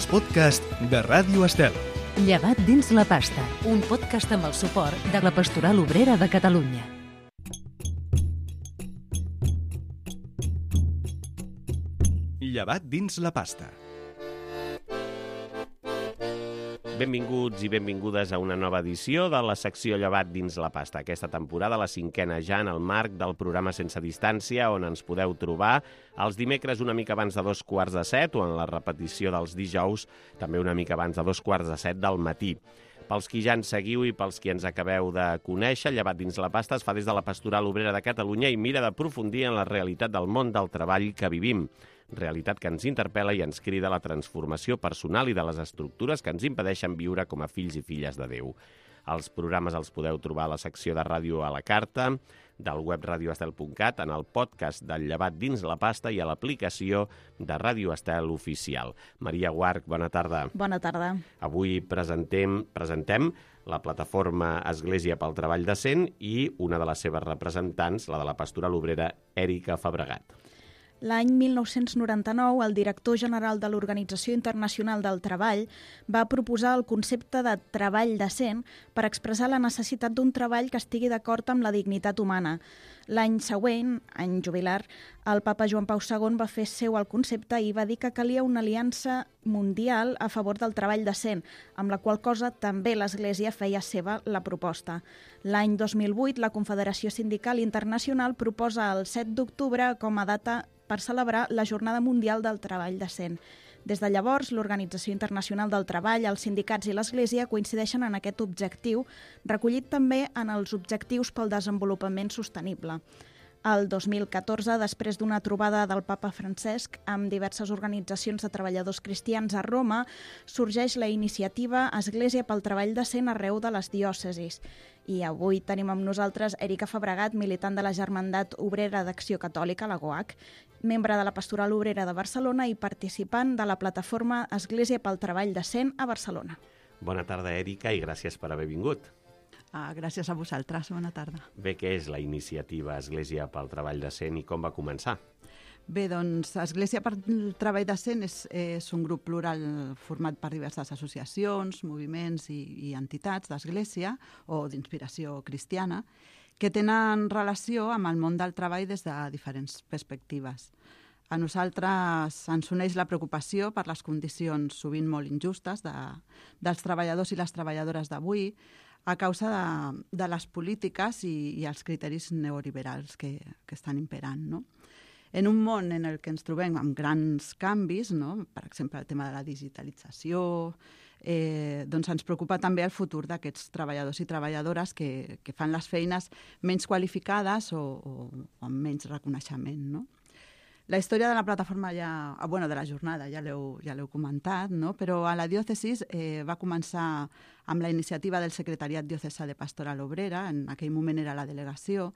els podcasts de Ràdio Estel. Llevat dins la pasta, un podcast amb el suport de la Pastoral Obrera de Catalunya. Llevat dins la pasta. Benvinguts i benvingudes a una nova edició de la secció Llevat dins la pasta. Aquesta temporada, la cinquena ja en el marc del programa Sense Distància, on ens podeu trobar els dimecres una mica abans de 7:15 o en la repetició dels dijous també una mica abans de 7:15 del matí. Pels qui ja ens seguiu i pels qui ens acabeu de conèixer, Llevat dins la pasta es fa des de la Pastoral Obrera de Catalunya i mira d'aprofundir en la realitat del món del treball que vivim. Realitat que ens interpel·la i ens crida a la transformació personal i de les estructures que ens impedeixen viure com a fills i filles de Déu. Els programes els podeu trobar a la secció de ràdio a la carta, del web radioestel.cat, en el podcast del Llevat dins la pasta i a l'aplicació de Ràdio Estel Oficial. Maria Guarch, bona tarda. Bona tarda. Avui presentem la plataforma Església pel Treball Decent i una de les seves representants, la de la Pastoral Obrera, Èrika Fabregat. L'any 1999, el director general de l'Organització Internacional del Treball va proposar el concepte de treball decent per expressar la necessitat d'un treball que estigui d'acord amb la dignitat humana. L'any següent, any jubilar, el papa Joan Pau II va fer seu el concepte i va dir que calia una aliança mundial a favor del treball decent, amb la qual cosa també l'Església feia seva la proposta. L'any 2008, la Confederació Sindical Internacional proposa el 7 d'octubre com a data per celebrar la Jornada Mundial del Treball Decent. Des de llavors, l'Organització Internacional del Treball, els sindicats i l'Església coincideixen en aquest objectiu, recollit també en els Objectius pel Desenvolupament Sostenible. El 2014, després d'una trobada del papa Francesc amb diverses organitzacions de treballadors cristians a Roma, sorgeix la iniciativa Església pel Treball Decent arreu de les diòcesis. I avui tenim amb nosaltres Èrika Fabregat, militant de la Germandat Obrera d'Acció Catòlica, la GOAC, membre de la Pastoral Obrera de Barcelona i participant de la plataforma Església pel Treball Decent a Barcelona. Bona tarda, Èrika, i gràcies per haver vingut. Gràcies a vosaltres, bona tarda. Bé, què és la iniciativa Església pel Treball Decent i com va començar? Bé, doncs, Església pel Treball Decent és un grup plural format per diverses associacions, moviments i entitats d'Església o d'inspiració cristiana que tenen relació amb el món del treball des de diferents perspectives. A nosaltres ens uneix la preocupació per les condicions sovint molt injustes dels treballadors i les treballadores d'avui a causa de les polítiques i els criteris neoliberals que estan imperant, no? En un món en el que ens trobem amb grans canvis, no? Per exemple, el tema de la digitalització, doncs ens preocupa també el futur d'aquests treballadors i treballadores que fan les feines menys qualificades o amb menys reconeixement, no? La història de la plataforma de la jornada ja l'heu comentat, no? Però a la diòcesis va començar amb la iniciativa del Secretariat Diocesà de Pastoral Obrera, en aquell moment era la delegació.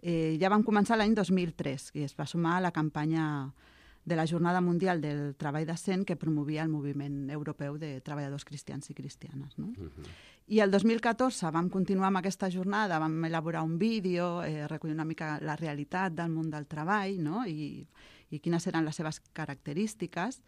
Ja vam començar l'any 2003 i es va sumar a la campanya de la Jornada Mundial del Treball Decent que promovia el moviment europeu de treballadors cristians i cristianes, no? I el 2014 vam continuar amb aquesta jornada, vam elaborar un vídeo, recollir una mica la realitat del món del treball, no? I quines eren les seves característiques,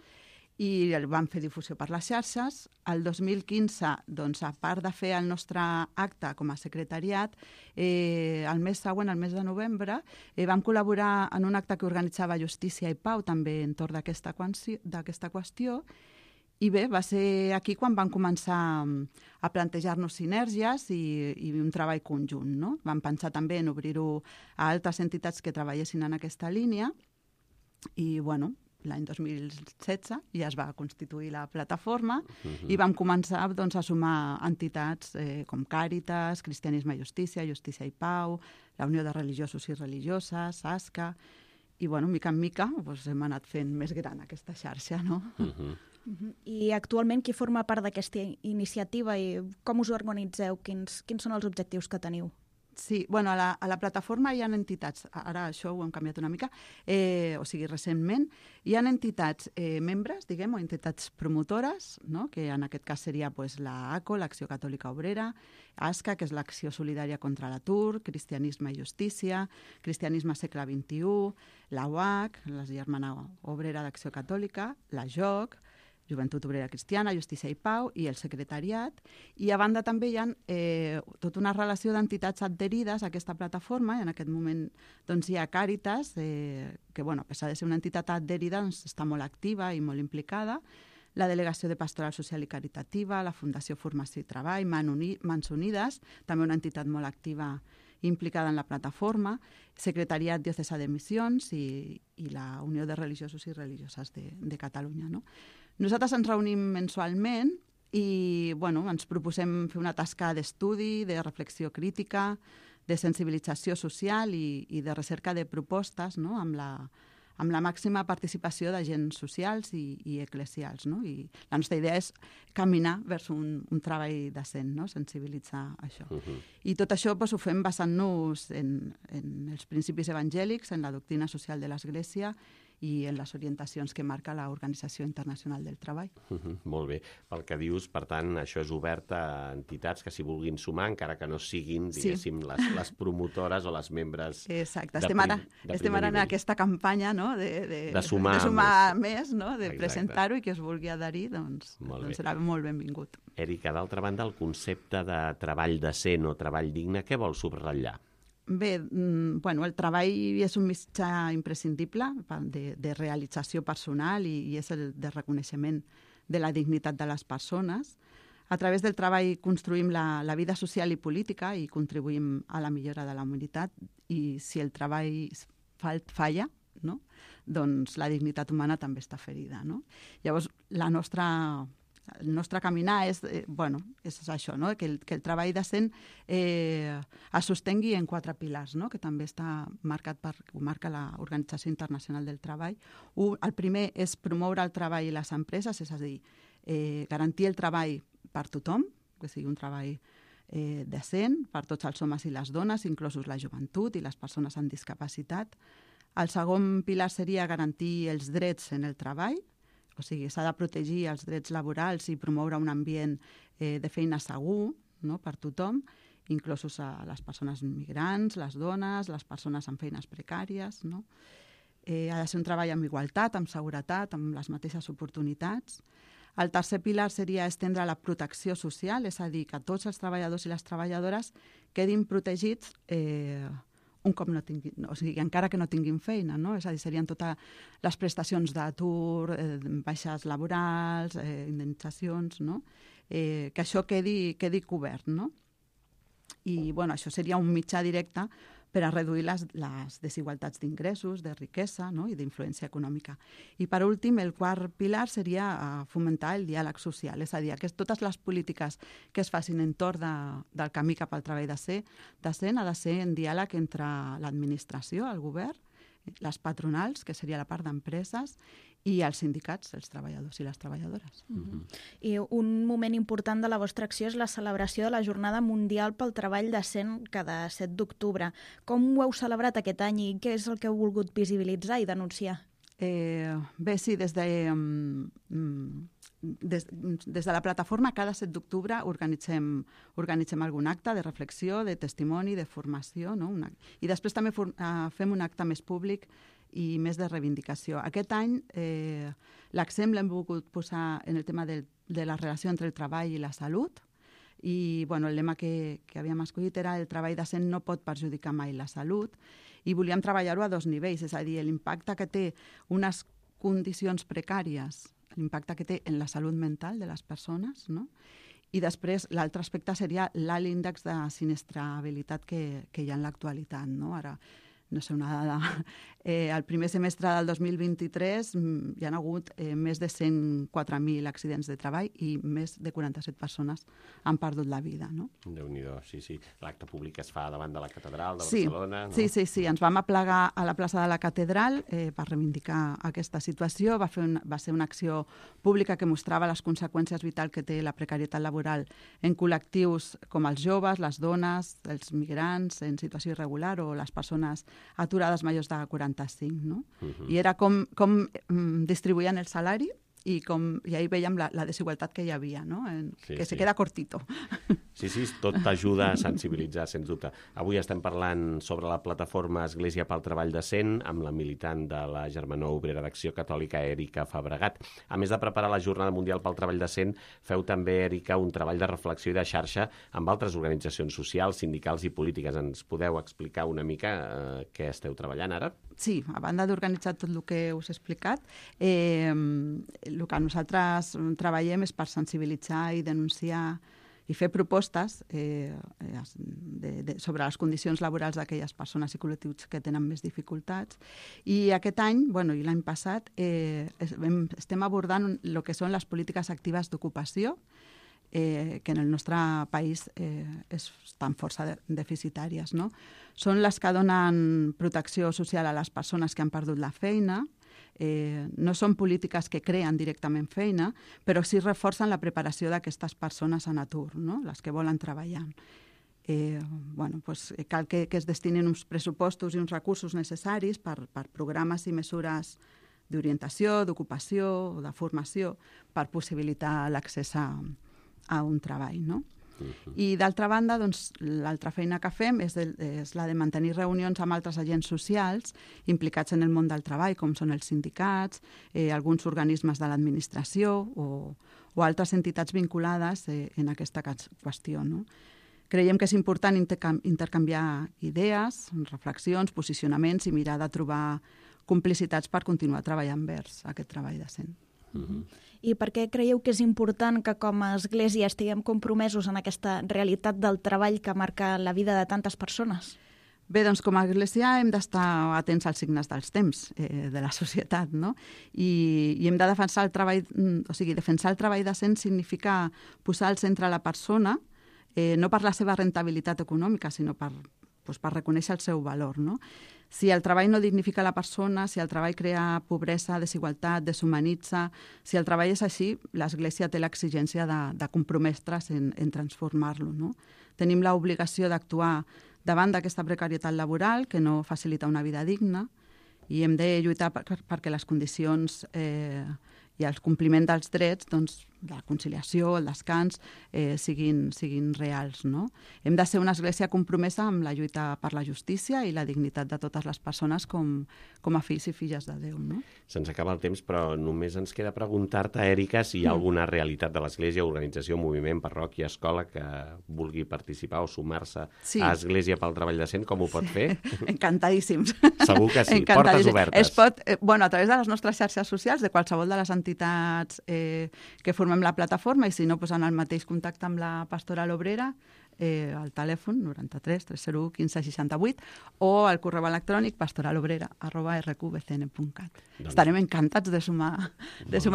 i vam fer difusió per les xarxes. El 2015, doncs, a part de fer el nostre acte com a secretariat, el mes següent, el mes de novembre, vam col·laborar en un acte que organitzava Justícia i Pau, també entorn d'aquesta qüestió, i bé, va ser aquí quan vam començar a plantejar-nos sinergies i un treball conjunt, no? Vam pensar també en obrir-ho a altres entitats que treballessin en aquesta línia i, bueno, l'any 2016 ja es va constituir la plataforma i vam començar doncs, a sumar entitats com Càritas, Cristianisme i Justícia, Justícia i Pau, la Unió de Religiosos i Religioses, ASCA, i, bueno, mica en mica doncs, hem anat fent més gran aquesta xarxa, no? I actualment qui forma part d'aquesta iniciativa i com us organitzeu? Quins són els objectius que teniu? Sí, bueno, a la plataforma hi ha entitats, ara això ho hem canviat una mica, o sigui, recentment, hi ha entitats membres, diguem, o entitats promotores, no? Que en aquest cas seria pues, la ACO, l'Acció Catòlica Obrera, ASCA, que és l'Acció Solidària contra l'Atur, Cristianisme i Justícia, Cristianisme Segle XXI, la UAC, la Germana Obrera d'Acció Catòlica, la JOC, Joventut Obrera Cristiana, Justícia i Pau i el secretariat. I a banda també hi ha tota una relació d'entitats adherides a aquesta plataforma, i en aquest moment doncs, hi ha Càritas, que a pesar de ser una entitat adherida doncs, està molt activa i molt implicada, la Delegació de Pastoral Social i Caritativa, la Fundació Formació i Treball, Mans Unides, també una entitat molt activa implicada en la plataforma, Secretariat Diocesà de Missions i la Unió de Religiosos i Religioses de Catalunya. No? Nosaltres ens reunim mensualment i ens proposem fer una tasca d'estudi, de reflexió crítica, de sensibilització social i de recerca de propostes, no? amb la màxima participació d'agents socials i eclesials. No? I la nostra idea és caminar vers un treball decent, no? Sensibilitzar això. I tot això ho fem basant-nos en els principis evangèlics, en la doctrina social de l'Església i en les orientacions que marca l'Organització Internacional del Treball. Molt bé. Pel que dius, per tant, això és obert a entitats que s'hi vulguin sumar, encara que no siguin, diguéssim, les promotores o les membres. Exacte. Estem ara en aquesta campanya, no? de sumar més, no? De presentar-ho i que es vulgui adherir, doncs serà molt benvingut. Èrica, d'altra banda, el concepte de treball decent o treball digne, què vol subratllar? Bé, el treball és un mitjà imprescindible de realització personal i és el de reconeixement de la dignitat de les persones. A través del treball construïm la vida social i política i contribuïm a la millora de la humanitat, i si el treball falla, no? Doncs la dignitat humana també està ferida. No? Llavors, el nostre caminar és això, no? que el treball decent es sostengui en 4 pilars, no? Que també està marca l'Organització Internacional del Treball. El primer és promoure el treball i les empreses, és a dir, garantir el treball per tothom, que sigui un treball decent per tots els homes i les dones, inclosos la joventut i les persones amb discapacitat. El segon pilar seria garantir els drets en el treball, o sigui, s'ha de protegir els drets laborals i promoure un ambient de feina segur, no? Per tothom, inclosos a les persones migrants, les dones, les persones amb feines precàries. No? Ha de ser un treball amb igualtat, amb seguretat, amb les mateixes oportunitats. El tercer pilar seria estendre la protecció social, és a dir, que tots els treballadors i les treballadores quedin protegits un cop no tinguin, o sigui, encara que no tinguin feina, no? És a dir, serien totes les prestacions d'atur, baixes laborals, indemnitzacions, no? Que això quedi cobert, no? I, això seria un mitjà directe per a reduir les desigualtats d'ingressos, de riquesa, no? I d'influència econòmica. I, per últim, el quart pilar seria fomentar el diàleg social, és a dir, que totes les polítiques que es facin entorn del camí cap al treball decent ha de ser en diàleg entre l'administració, el govern, les patronals, que seria la part d'empreses, i els sindicats, els treballadors i les treballadores. I un moment important de la vostra acció és la celebració de la Jornada Mundial pel Treball Decent cada 7 d'octubre. Com ho heu celebrat aquest any i què és el que heu volgut visibilitzar i denunciar? Bé, sí, des de la plataforma cada 7 d'octubre organitzem algun acte de reflexió, de testimoni, de formació, no? I després també fem un acte més públic i més de reivindicació. Aquest any l'accent l'hem volgut posar en el tema de la relació entre el treball i la salut, i el lema que havíem escollit era el treball decent no pot perjudicar mai la salut, i volíem treballar-ho a 2 nivells, és a dir, l'impacte que té unes condicions precàries, l'impacte que té en la salut mental de les persones, no? I després l'altre aspecte seria l'alt índex de sinistrabilitat que hi ha en l'actualitat, no? Ara, no sé, una dada. El primer semestre del 2023 hi ha hagut més de 104.000 accidents de treball i més de 47 persones han perdut la vida, no? Déu-n'hi-do, sí. L'acte públic es fa davant de la catedral de Barcelona, no? Sí. Ens vam aplegar a la plaça de la catedral per reivindicar aquesta situació. Va ser una acció pública que mostrava les conseqüències vitals que té la precarietat laboral en col·lectius com els joves, les dones, els migrants en situació irregular o les persones aturades majors de 45, no? I era com distribuïen el salari i ahí veiem la desigualtat que hi havia, no? Se queda cortito. Sí, tot t'ajuda a sensibilitzar, sens dubte. Avui estem parlant sobre la plataforma Església pel Treball Decent amb la militant de la Germanor Obrera d'Acció Catòlica, Èrica Fabregat. A més de preparar la Jornada Mundial pel Treball Decent, feu també, Èrica, un treball de reflexió i de xarxa amb altres organitzacions socials, sindicals i polítiques. Ens podeu explicar una mica què esteu treballant ara? Sí, a banda d'organitzar tot el que us he explicat, el que nosaltres treballem és per sensibilitzar i denunciar i fer propostes sobre les condicions laborals d'aquelles persones i col·lectius que tenen més dificultats. I aquest any, i l'any passat, estem abordant el que són les polítiques actives d'ocupació, que en el nostre país estan força deficitàries, no? Són les que donen protecció social a les persones que han perdut la feina, no són polítiques que creen directament feina, però sí reforcen la preparació d'aquestes persones en atur, no? Les que volen treballar. Cal que es destinin uns pressupostos i uns recursos necessaris per programes i mesures d'orientació, d'ocupació o de formació per possibilitar l'accés a un treball, no? I d'altra banda, l'altra feina que fem és la de mantenir reunions amb altres agents socials implicats en el món del treball, com són els sindicats, alguns organismes de l'administració o altres entitats vinculades en aquesta qüestió, no? Creiem que és important intercanviar idees, reflexions, posicionaments i mirar de trobar complicitats per continuar treballant vers aquest treball decent. I per què creieu que és important que com a Església estiguem compromesos en aquesta realitat del treball que marca la vida de tantes persones? Bé, doncs com a Església hem d'estar atents als signes dels temps de la societat, no? I hem de defensar el treball, defensar el treball decent significa posar al centre la persona, no per la seva rentabilitat econòmica, sinó per reconèixer el seu valor, no? Si el treball no dignifica la persona, si el treball crea pobresa, desigualtat, deshumanitza, si el treball és així, l'Església té l'exigència de comprometre's en transformar-lo, no? Tenim l'obligació d'actuar davant d'aquesta precarietat laboral que no facilita una vida digna i hem de lluitar perquè les condicions i el compliment dels drets, la conciliació, el descans, siguin reals, no? Hem de ser una església compromesa amb la lluita per la justícia i la dignitat de totes les persones com a fills i filles de Déu, no? Se'ns acaba el temps, però només ens queda preguntar-te, Èrica, si hi ha alguna realitat de l'Església, organització, moviment, parròquia, escola, que vulgui participar o sumar-se a Església pel Treball Decent, com ho pot fer? Encantadíssims. Segur que sí, portes obertes. Es pot, a través de les nostres xarxes socials, de qualsevol de les entitats que formem la plataforma, i si no, en el mateix contacte amb la Pastoral Obrera, al telèfon 93 301 15 68 o al correu electrònic pastoralobrera@rqbcn.cat. Estarem encantats de sumar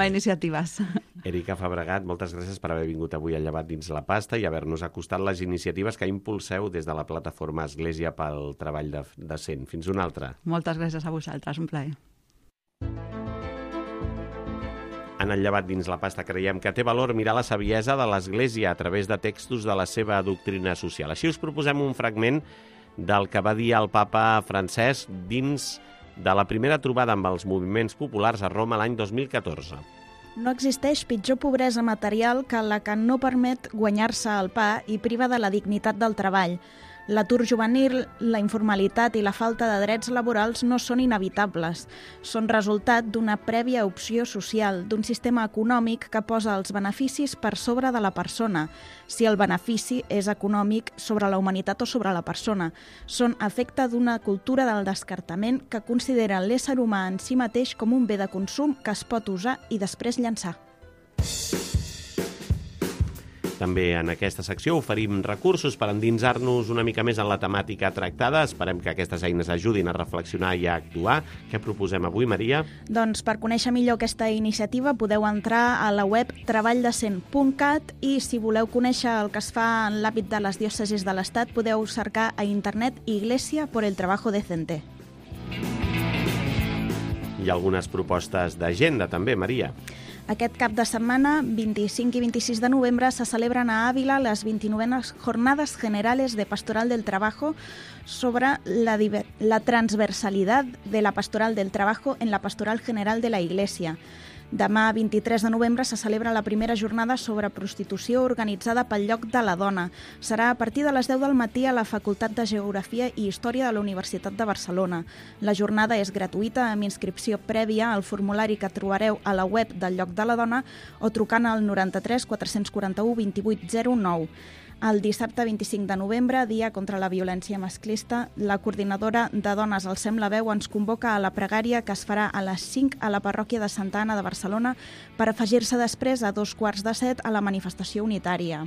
iniciatives. Èrica Fabregat, moltes gràcies per haver vingut avui al Llevat dins la pasta i haver-nos acostat les iniciatives que impulseu des de la plataforma Església pel Treball Decent. Fins una altra. Moltes gràcies a vosaltres, un plaer. En el Llevat dins la pasta creiem que té valor mirar la saviesa de l'Església a través de textos de la seva doctrina social. Així us proposem un fragment del que va dir el papa Francesc dins de la primera trobada amb els moviments populars a Roma l'any 2014. No existeix pitjor pobresa material que la que no permet guanyar-se el pa i priva de la dignitat del treball. L'atur juvenil, la informalitat i la falta de drets laborals no són inevitables. Són resultat d'una prèvia opció social, d'un sistema econòmic que posa els beneficis per sobre de la persona, si el benefici és econòmic sobre la humanitat o sobre la persona. Són efecte d'una cultura del descartament que considera l'ésser humà en si mateix com un bé de consum que es pot usar i després llançar. També en aquesta secció oferim recursos per endinsar-nos una mica més en la temàtica tractada. Esperem que aquestes eines ajudin a reflexionar i a actuar. Què proposem avui, Maria? Doncs per conèixer millor aquesta iniciativa podeu entrar a la web treballdecent.cat i si voleu conèixer el que es fa en l'àmbit de les diòcesis de l'Estat podeu cercar a internet Iglesia por el Trabajo Decente. Hi ha algunes propostes d'agenda també, Maria. Aquest cap de setmana, 25 i 26 de novembre, se celebren a Ávila les 29 Jornades Generales de Pastoral del Trabajo sobre la transversalidad de la Pastoral del Trabajo en la Pastoral General de la Iglesia. Demà, 23 de novembre, se celebra la primera jornada sobre prostitució organitzada pel Lloc de la Dona. Serà a partir de les 10 del matí a la Facultat de Geografia i Història de la Universitat de Barcelona. La jornada és gratuïta, amb inscripció prèvia al formulari que trobareu a la web del Lloc de la Dona o trucant al 93 441 2809. El dissabte 25 de novembre, dia contra la violència masclista, la coordinadora de Dones al Sem la Veu ens convoca a la pregària que es farà a les 5 a la parròquia de Santa Anna de Barcelona per afegir-se després a 6:45 a la manifestació unitària.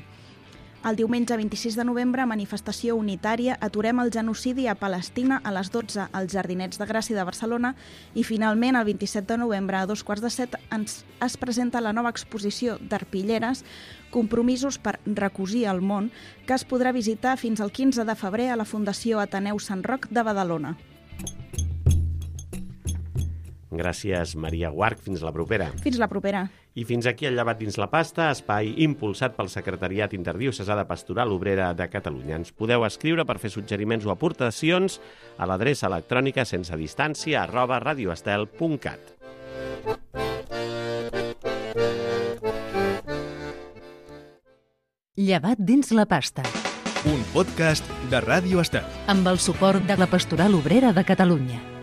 El diumenge 26 de novembre, manifestació unitària, aturem el genocidi a Palestina a les 12 als Jardinets de Gràcia de Barcelona i finalment el 27 de novembre a 6:45 es presenta la nova exposició d'arpilleres Compromisos per recosir el món, que es podrà visitar fins al 15 de febrer a la Fundació Ateneu Sant Roc de Badalona. Gràcies, Maria Guarch. Fins la propera. Fins la propera. I fins aquí el Llevat dins la pasta, espai impulsat pel Secretariat Interdiocesà de Pastoral Obrera de Catalunya. Ens podeu escriure per fer suggeriments o aportacions a l'adreça electrònica sensedistància@radioestel.cat. Llevat dins la pasta. Un podcast de Ràdio Estel. Amb el suport de la Pastoral Obrera de Catalunya.